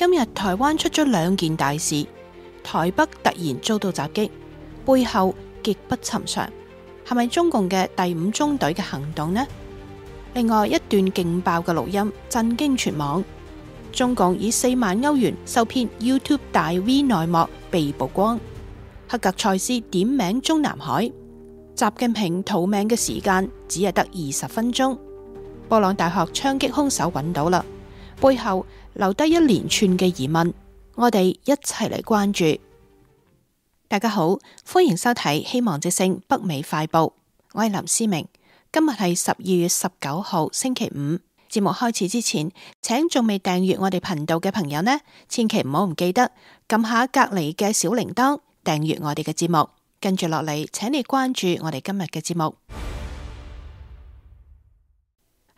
今日台灣出咗兩件大事，台北突然遭到襲擊，背後極不尋常，係咪中共嘅第五中隊嘅行動呢？另外一段勁爆嘅錄音震驚全網，中共以4萬歐元受騙 YouTube 大 V 內幕被曝光，黑格賽斯點名中南海，習近平逃命嘅時間只係得20分鐘，布朗大學槍擊兇手揾到啦，背後留低一連串嘅疑問，我哋一齊嚟關注。大家好，歡迎收睇希望之聲北美快報，我係林思明。今日係12月19號星期五。節目開始之前，請仲未訂閱我哋頻道嘅朋友呢，千祈唔好唔記得撳下隔籬嘅小鈴鐺，訂閱我哋嘅節目。跟住落嚟，請你關注我哋今日嘅節目。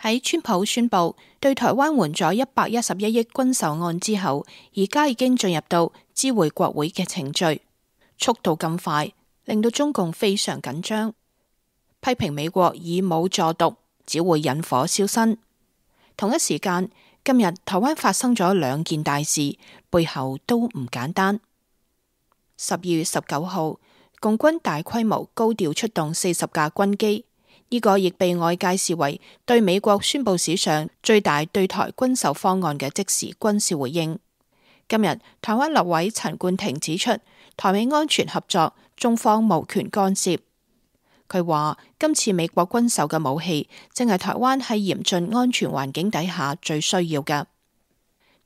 喺川普宣布對台灣援助111億軍售案之後，而家已經進入到知會國會嘅程序，速度咁快，令到中共非常緊張，批評美國以武助獨，只會引火燒身。同一時間，今日台灣發生咗兩件大事，背後都唔簡單。12月19號，共軍大規模高調出動40架軍機，呢個亦被外界視為對美國宣布史上最大對台軍售方案嘅即時軍事回應。今日台灣立委陳冠廷指出，台美安全合作，中方無權干涉。佢話今次美國軍售嘅武器，正係台灣喺嚴峻安全環境底下最需要嘅。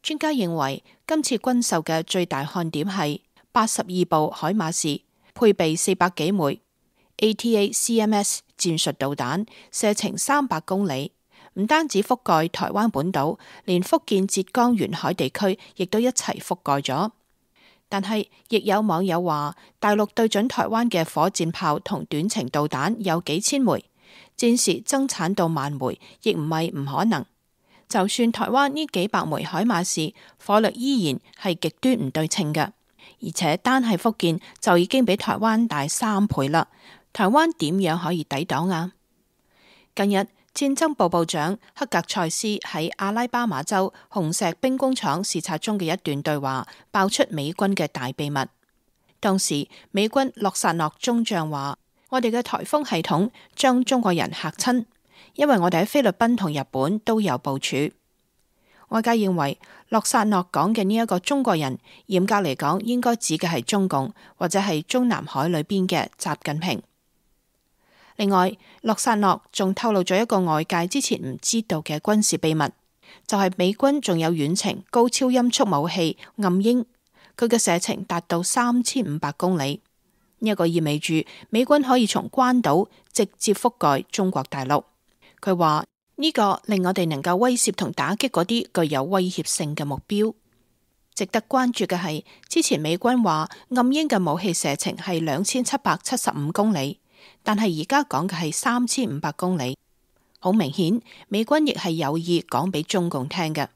專家認為，今次軍售嘅最大看點係82部海馬士，配備400幾枚 ATA-CMS 戰術導彈，射程300公里，唔單止覆蓋台灣本島，連福建、浙江沿海地區亦都一齊覆蓋咗。但係，亦有網友話，大陸對準台灣嘅火箭炮同短程導彈有幾千枚，戰時增產到1萬枚，亦唔係唔可能。就算台灣呢幾百枚海馬士，火力依然係極端唔對稱嘅，而且單係福建就已經比台灣大3倍啦。台灣點樣可以抵擋啊？近日，戰爭部部長黑格賽斯喺阿拉巴馬州紅石兵工廠視察中嘅一段對話，爆出美軍嘅大秘密。當時美軍洛薩諾中將話：我哋嘅颱風系統將中國人嚇親，因為我哋喺菲律賓同日本都有部署。外界認為洛薩諾講嘅呢一個中國人，嚴格嚟講應該指嘅係中共，或者係中南海裏邊嘅習近平。另外，洛薩諾仲透露咗一個外界之前唔知道嘅軍事秘密，就係美軍仲有遠程高超音速武器暗鷹，佢嘅射程達到3500公里。呢一個意味住美軍可以從關島直接覆蓋中國大陸。佢話呢個令我哋能夠威懾同打擊嗰啲具有威脅性嘅目標。值得關注嘅係，之前美軍話暗鷹嘅武器射程係2775公里。但係而家講嘅係3500公里，好明顯美軍亦係有意講俾中共聽嘅。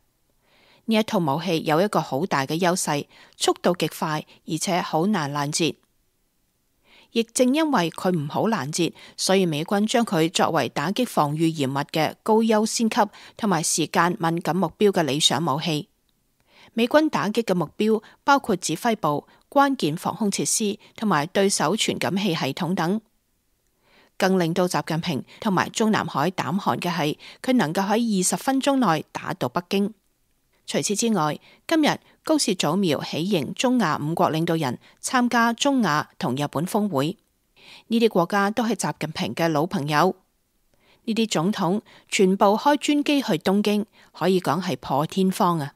呢一套武器有一個好大嘅優勢，速度極快，而且好難攔截。亦正因為佢唔好攔截，所以美軍將佢作為打擊防禦嚴密嘅高優先級同埋時間敏感目標嘅理想武器。美軍打擊嘅目標包括指揮部、關鍵防空設施同埋對手傳感器系統等。更令到習近平同埋中南海膽寒嘅係，佢能夠喺20分鐘內打到北京。除此之外，今日高市早苗喜迎中亞5國領導人參加中亞同日本峰會，呢啲國家都係習近平嘅老朋友。呢啲總統全部開專機去東京，可以講係破天荒啊！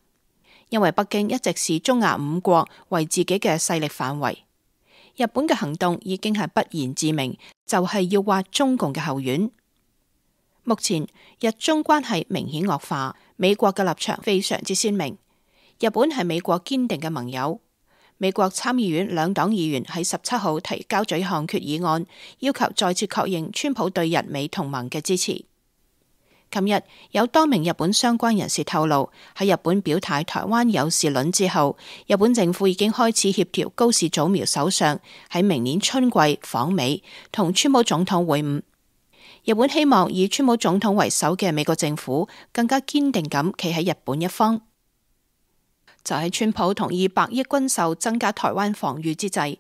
因為北京一直視中亞5國為自己嘅勢力範圍。日本嘅行動已經係不言自明，就係要挖中共嘅後院。目前日中關係明顯惡化，美國嘅立場非常之鮮明。日本係美國堅定嘅盟友。美國參議院兩黨議員喺17號提交咗一項決議案，要求再次確認川普對日美同盟嘅支持。琴日有多名日本相關人士透露，喺日本表態台灣有事論之後，日本政府已經開始協調高市早苗首相喺明年春季訪美，同川普總統會晤。日本希望以川普總統為首嘅美國政府更加堅定咁企喺日本一方。就喺川普同意100億軍售增加台灣防禦之際，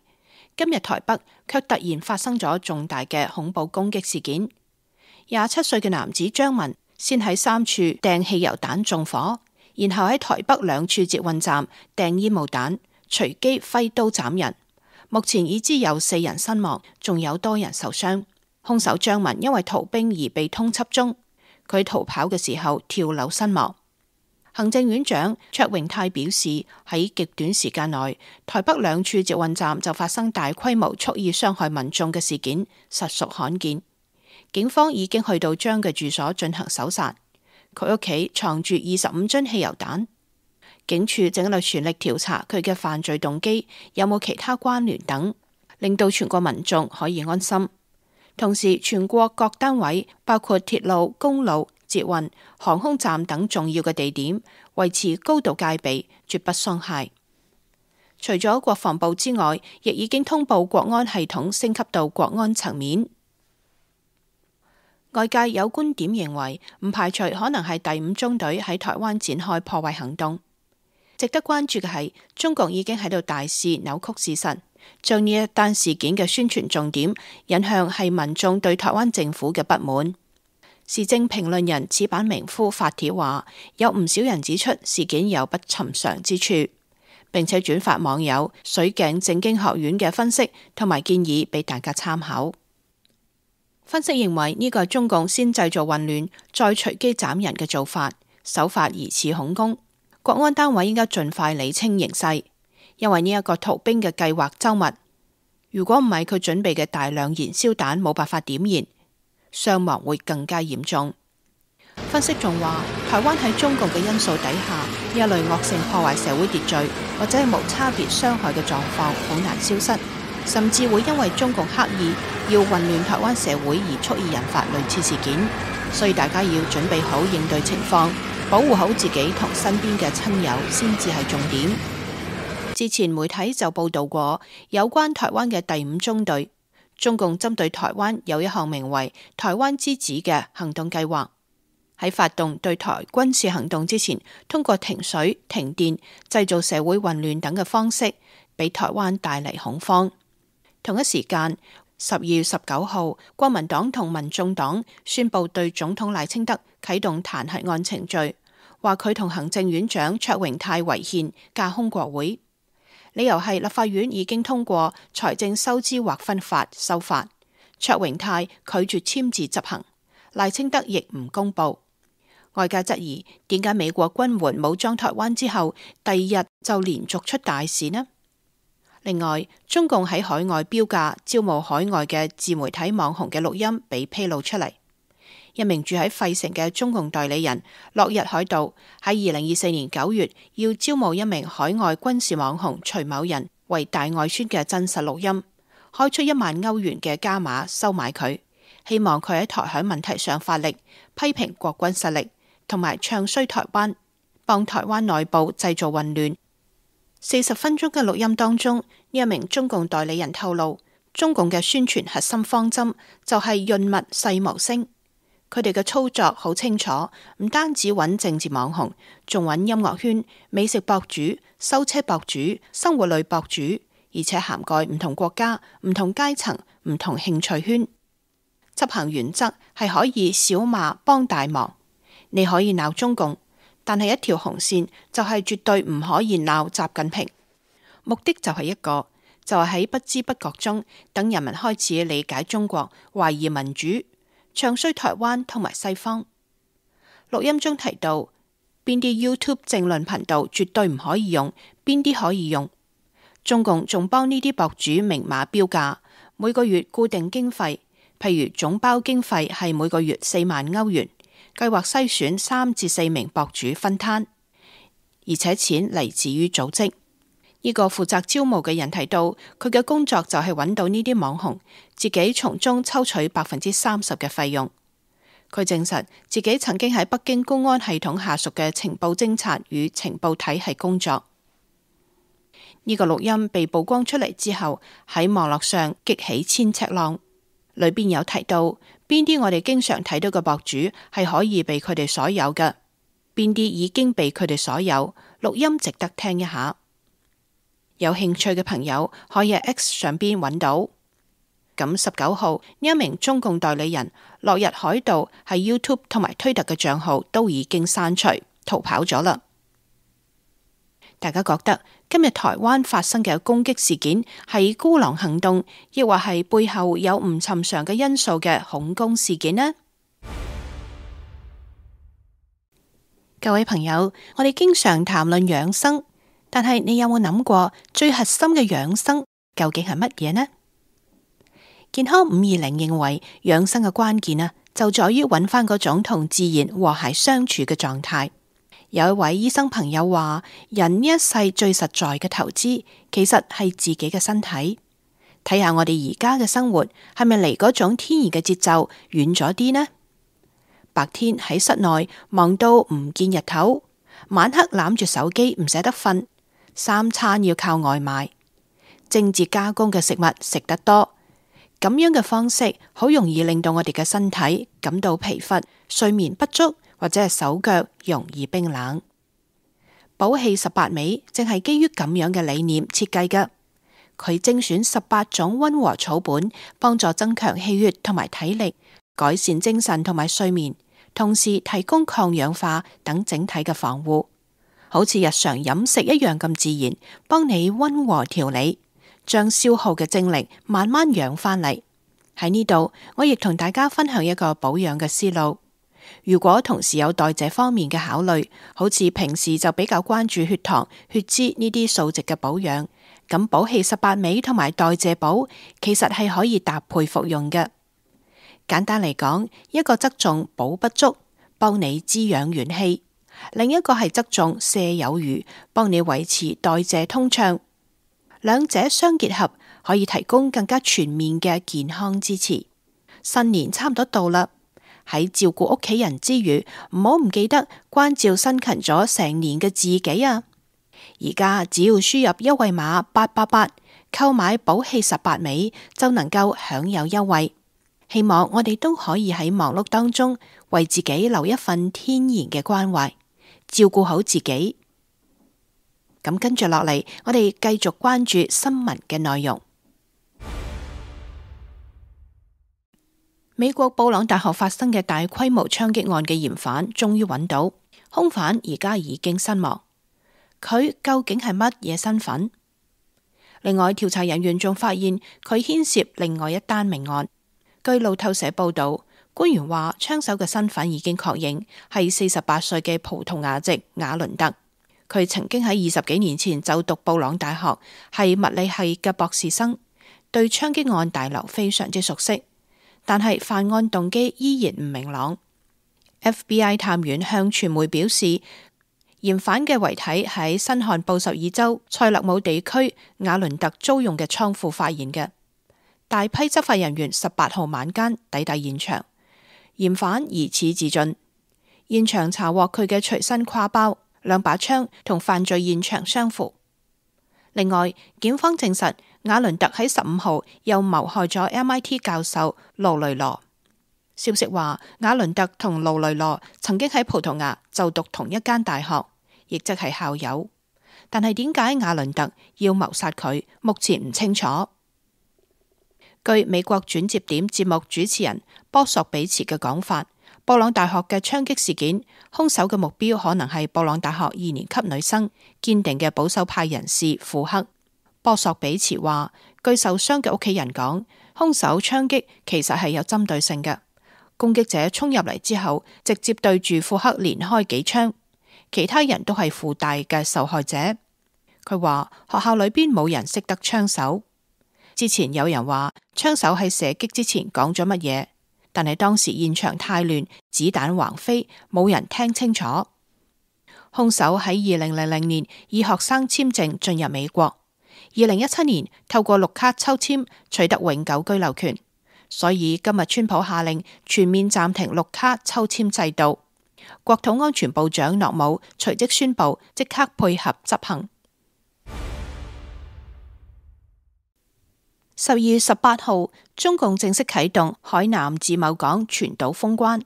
今日台北卻突然發生咗重大嘅恐怖攻擊事件。27歲嘅男子張文先喺3處掟汽油彈縱火，然後喺台北2處捷運站掟煙霧彈，隨機揮刀斬人。目前已知有4人身亡，仲有多人受傷。兇手張文因為逃兵而被通緝中，佢逃跑嘅時候跳樓身亡。行政院長卓榮泰表示，喺極短時間內，台北2處捷運站就發生大規模蓄意傷害民眾嘅事件，實屬罕見。警方已經去到張嘅住所進行搜查，佢屋企藏住25樽汽油彈。警署正喺度全力調查佢嘅犯罪動機，有冇其他關聯等，令到全國民眾可以安心。同時，全國各單位包括鐵路、公路、捷運、航空站等重要嘅地點，維持高度戒備，絕不鬆懈。除咗國防部之外，亦已經通報國安系統升級到國安層面。外界有觀點認為，唔排除可能係第5中隊喺台灣展開破壞行動。值得關注嘅係，中共已經喺度大肆扭曲事實，將呢一單事件嘅宣傳重點引向係民眾對台灣政府嘅不滿。時政評論人矢板明夫發帖話，有唔少人指出事件有不尋常之處，並且轉發網友水鏡政經學院嘅分析同埋建議俾大家參考。分析認為呢個係中共先製造混亂，再隨機斬人嘅做法，手法疑似恐攻。國安單位應該盡快理清形勢，因為呢一個逃兵嘅計劃周密，如果唔係佢準備嘅大量燃燒彈冇辦法點燃，傷亡會更加嚴重。分析仲話，台灣喺中共嘅因素底下，呢一類惡性破壞社會秩序或者係無差別傷害嘅狀況好難消失，甚至會因為中共刻意要混亂台灣社會而蓄意引發類似事件，所以大家要準備好應對情況，保護好自己同身邊嘅親友先至係重點。之前媒體就報道過有關台灣嘅第5中隊，中共針對台灣有一項名為「台灣之子」嘅行動計劃，喺發動對台軍事行動之前，通過停水、停電、製造社會混亂等嘅方式，俾台灣帶嚟恐慌。同一時間，12月19號，國民黨同民眾黨宣布對總統賴清德啟動彈劾案程序，話佢同行政院長卓榮泰違憲，架空國會。理由係立法院已經通過財政收支劃分法修法，卓榮泰拒絕簽字執行，賴清德亦唔公布。外界質疑點解美國軍援武裝台灣之後，第2日就連續出大事呢？另外，中共喺海外標價招募海外嘅自媒體網紅嘅錄音被披露出嚟。一名住喺費城嘅中共代理人落日海盜喺2024年9月要招募一名海外軍事網紅徐某人為大外宣嘅真實錄音，開出1萬歐元嘅加碼收買佢，希望佢喺台海問題上發力，批評國軍實力，同埋唱衰台灣，幫台灣內部製造混亂。40分鐘嘅錄音當中，呢一名中共代理人透露，中共嘅宣傳核心方針就係潤物細無聲。佢哋嘅操作好清楚，唔單止揾政治網紅，仲揾音樂圈、美食博主、修車博主、生活類博主，而且涵蓋唔同國家、唔同階層、唔同興趣圈。執行原則係可以小罵幫大忙，你可以鬧中共，但係一條紅線就係絕對唔可以鬧習近平。目的就係一個，就係喺不知不覺中，等人民開始理解中國，懷疑民主，唱衰台灣同埋西方。錄音中提到邊啲 YouTube 政論頻道絕對唔可以用，邊啲可以用。中共仲幫呢啲博主明碼標價，每個月固定經費，譬如總包經費係每個月4萬歐元，計劃篩選3至4名博主分攤，而且錢嚟自於組織。呢個負責招募嘅人提到，佢嘅工作就係揾到呢啲網紅，自己從中抽取30%嘅費用。佢證實自己曾經喺北京公安系統下屬嘅情報偵察與情報體系工作。呢個錄音被曝光出嚟之後，喺網絡上激起千尺浪，裏邊有提到邊啲我哋經常睇到嘅博主係可以被佢哋所有嘅，邊啲已經被佢哋所有，錄音值得聽一下。有興趣嘅朋友可以喺 X 上邊揾到。咁19號呢一名中共代理人落日海盜喺 YouTube 同埋推特嘅賬號都已經刪除，逃跑咗啦。大家覺得今日台灣發生嘅攻擊事件係孤狼行動，抑或係背後有唔尋常嘅因素嘅恐攻事件呢？各位朋友，我哋經常談論養生，但係你有冇諗過最核心嘅養生究竟係乜嘢呢？健康520認為養生嘅關鍵就在於揾翻嗰種同自然和諧相處嘅狀態。有一位醫生朋友話，人呢一世最實在嘅投資，其實係自己嘅身體。睇下我哋而家嘅生活係咪離嗰種天然嘅節奏遠咗啲呢？白天喺室內忙到唔見日頭，晚黑攬住手機唔捨得瞓，3餐要靠外賣，精緻加工嘅食物食得多，咁樣嘅方式好容易令到我哋嘅身體感到疲乏、睡眠不足，或者係手腳容易冰冷。寶氣18味正係基於咁樣嘅理念設計嘅，佢精選18種溫和草本，幫助增強氣血同埋體力，改善精神同埋睡眠，同時提供抗氧化等整體嘅防護，好似日常飲食一樣咁自然，幫你溫和調理，將消耗嘅精力慢慢養翻嚟。喺呢度，我亦同大家分享一個保養嘅思路。如果同時有代謝方面嘅考慮，好似平時就比較關注血糖、血脂呢啲數值嘅保養，咁寶氣18味同埋代謝寶其實係可以搭配服用嘅。簡單嚟講，一個側重補不足，幫你滋養元氣；另一個係側重瀉有餘，幫你維持代謝通暢。兩者相結合，可以提供更加全面嘅健康支持。新年差唔多到啦。喺照顧屋企人之餘，唔好唔記得關照辛勤咗成年嘅自己啊！而家只要輸入優惠碼888，購買寶氣18味就能夠享有優惠。希望我哋都可以喺忙碌當中為自己留一份天然嘅關懷，照顧好自己。咁跟住落嚟，我哋繼續關注新聞嘅內容。美國布朗大學發生嘅大規模槍擊案嘅嫌犯終於揾到，兇犯而家已經身亡。佢究竟係乜嘢身份？另外，調查人員仲發現佢牽涉另外一單命案。據路透社報道，官員話槍手嘅身份已經確認，係48歲嘅葡萄牙籍瓦倫特。佢曾經喺20幾年前就讀布朗大學，係物理系嘅博士生，對槍擊案大樓非常之熟悉。但係犯案動機依然唔明朗。FBI 探員向傳媒表示，嫌犯嘅遺體喺新罕布什爾州塞勒姆地區瓦倫特租用嘅倉庫發現嘅。大批執法人員18號晚間抵達現場，嫌犯疑似自盡。現場查獲佢嘅隨身挎包、2把槍同犯罪現場相符。另外，檢方證實瓦倫特喺15號又謀害咗 MIT 教授盧雷羅。消息話，瓦倫特同盧雷羅曾經喺葡萄牙就讀同一間大學，亦即係校友。但係點解瓦倫特要謀殺佢，目前唔清楚。據美國轉接點節目主持人波索比茨嘅講法，布朗大學嘅槍擊事件，兇手嘅目標可能係布朗大學2年級女生，堅定嘅保守派人士庫克。波索比茨話，據受傷嘅屋企人講，兇手槍擊其實係有針對性嘅。攻擊者衝入嚟之後，直接對住庫克連開幾槍，其他人都係附帶嘅受害者。佢話學校裏邊冇人識得槍手。之前有人話槍手喺射擊之前講咗乜嘢，但係當時現場太亂，子彈橫飛，冇人聽清楚。兇手喺2000年以學生簽證進入美國，2017年透過綠卡抽簽取得永久居留權，所以今日川普下令全面暫停綠卡抽簽制度。國土安全部長諾姆隨即宣布即刻配合執行。12月18號，中共正式啟動海南自貿港全島封關。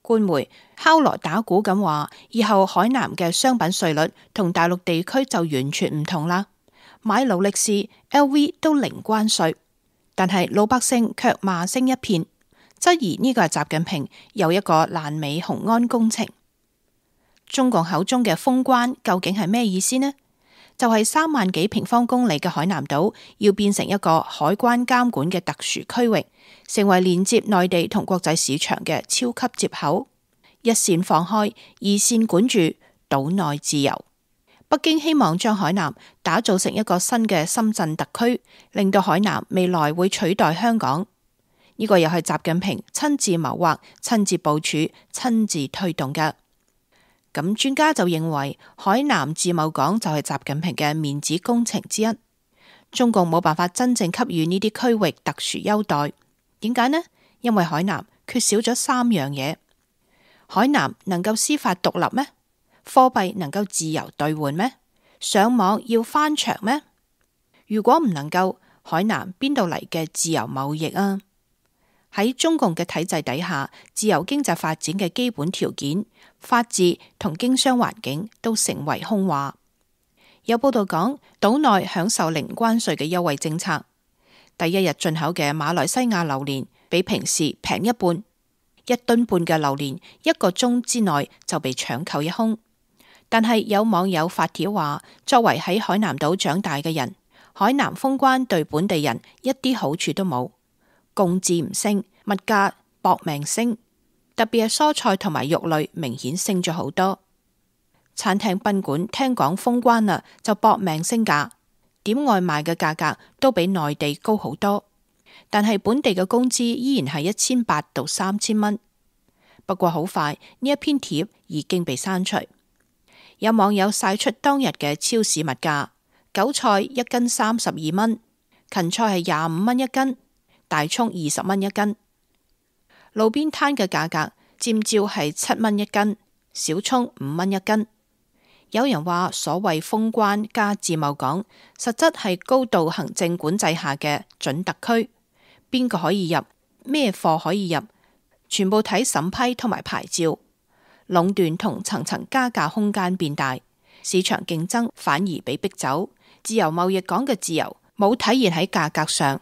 官媒敲鑼打鼓咁話，以後海南嘅商品稅率同大陸地區就完全唔同啦，買勞力士、LV 都零關稅，但係老百姓卻罵聲一片，質疑呢個係習近平又一個爛尾雄安工程。中共口中嘅封關究竟係咩意思呢？就係3萬幾平方公里嘅海南島要變成一個海關監管嘅特殊區域，成為連接內地同國際市場嘅超級接口。一線放開，二線管住，島內自由。北京希望將海南打造成一個新嘅深圳特區，令到海南未來會取代香港。呢個又係習近平親自謀劃、親自部署、親自推動嘅。咁專家就認為，海南自貿港就係習近平嘅面子工程之一。中共冇辦法真正給予呢啲區域特殊優待，點解呢？因為海南缺少咗3樣嘢：海南能夠司法獨立咩？貨幣能夠自由兌換咩？上網要翻牆咩？如果唔能夠，海南邊度嚟嘅自由貿易啊？喺中共嘅體制底下，自由經濟發展嘅基本條件、法治同經商環境都成為空話。有報道講，島內享受零關稅嘅優惠政策，第一日進口嘅馬來西亞榴蓮比平時平一半，1噸半嘅榴蓮1個鐘之內就被搶購一空。但係有網友發帖話，作為喺海南島長大嘅人，海南封關對本地人一啲好處都冇。工資唔升，物價搏命升，特別係蔬菜同埋肉類明顯升咗好多。餐廳賓館聽講封關啦，就搏命升價，點外賣嘅價格都比內地高好多。但係本地嘅工資依然係1800到3000蚊。不過好快呢一篇帖已經被刪除。有網友晒出當日嘅超市物價，韭菜1斤32蚊，芹菜係25蚊一斤。大蔥20蚊一斤，路邊攤嘅價格尖椒係7蚊一斤，小蔥5蚊一斤。有人話所謂封關加自貿港，實質係高度行政管制下嘅準特區，邊個可以入，咩貨可以入，全部睇審批同埋牌照，壟斷同層層加價空間變大，市場競爭反而被逼走，自由貿易港嘅自由冇體現喺價格上。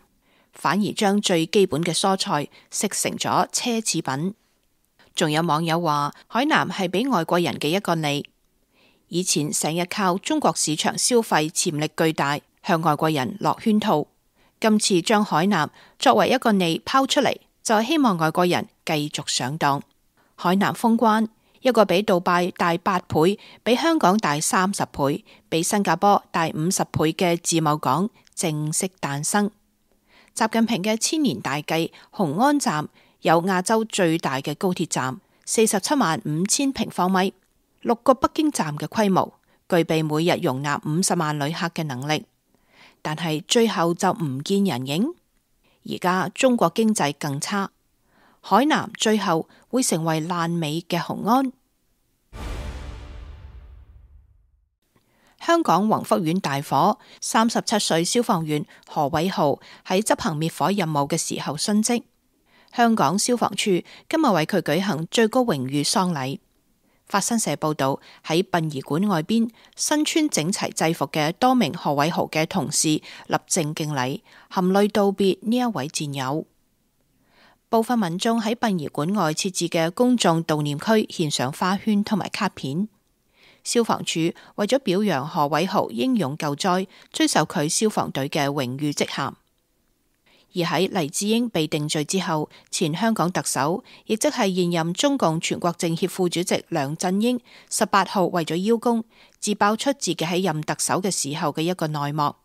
反而將最基本嘅蔬菜食成咗奢侈品。仲有網友話，海南係俾外國人嘅一個利，以前成日靠中國市場消費潛力巨大，向外國人落圈套。今次將海南作為一個利拋出嚟，就係希望外國人繼續上當。海南封關，一個比杜拜大8倍，比香港大30倍，比新加坡大50倍嘅自貿港正式誕生。習近平嘅千年大計，雄安站有亞洲最大嘅高鐵站，475000平方米，6個北京站嘅規模，具備每日容納50萬旅客嘅能力。但係最後就唔見人影。而家中國經濟更差，海南最後會成為爛尾嘅雄安。香港宏福苑大火，37歲消防員何偉豪喺執行滅火任務嘅時候殉職。香港消防處今日為佢舉行最高榮譽喪禮。法新社報道，喺殯儀館外邊，身穿整齊制服嘅多名何偉豪嘅同事立正敬禮，含淚道別呢一位戰友。部分民眾喺殯儀館外設置嘅公眾悼念區獻上花圈同埋卡片。消防處為咗表揚何偉豪英勇救災，追授佢消防隊嘅榮譽職銜。而喺黎智英被定罪之後，前香港特首，亦即係現任中共全國政協副主席梁振英18號為咗邀功，自爆出自己喺任特首嘅時候嘅一個內幕。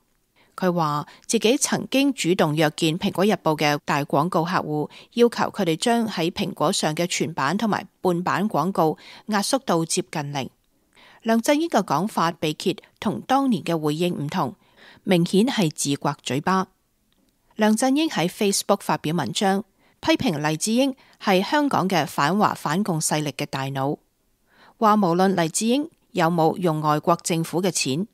佢話自己曾經主動約見蘋果日報嘅大廣告客戶，要求佢哋將喺蘋果上嘅全版同埋半版廣告壓縮到接近零。梁振英嘅講法被揭同當年嘅回應唔同，明顯係自刮嘴巴。梁振英喺 Facebook 發表文章，批評黎智英係香港嘅反華反共勢力嘅大腦，話無論黎智英有冇用外國政府嘅錢，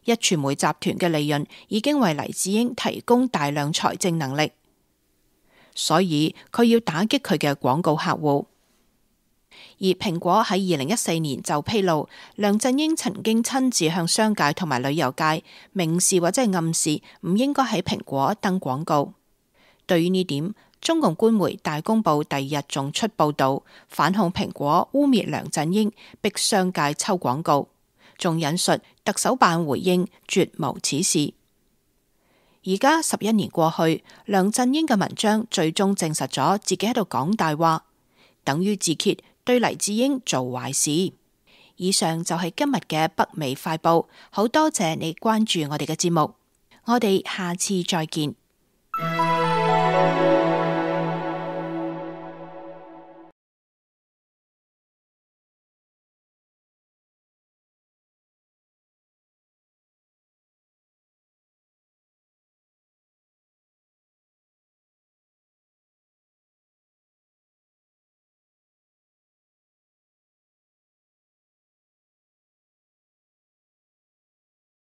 壹傳媒集團嘅利潤已經為黎智英提供大量財政能力，所以佢要打擊佢嘅廣告客戶。而蘋果喺2014年就披露，梁振英曾經親自向商界同埋旅遊界明示或者係暗示唔應該喺蘋果登廣告。對於呢點，中共官媒大公報第二日仲出報道反控蘋果污衊梁振英，逼商界抽廣告，仲引述特首辦回應絕無此事。而家11年過去，梁振英嘅文章最終證實咗自己喺度講大話，等於自揭對黎智英做壞事。以上就係今日嘅北美快報，好多謝你關注我哋嘅節目，我哋下次再見。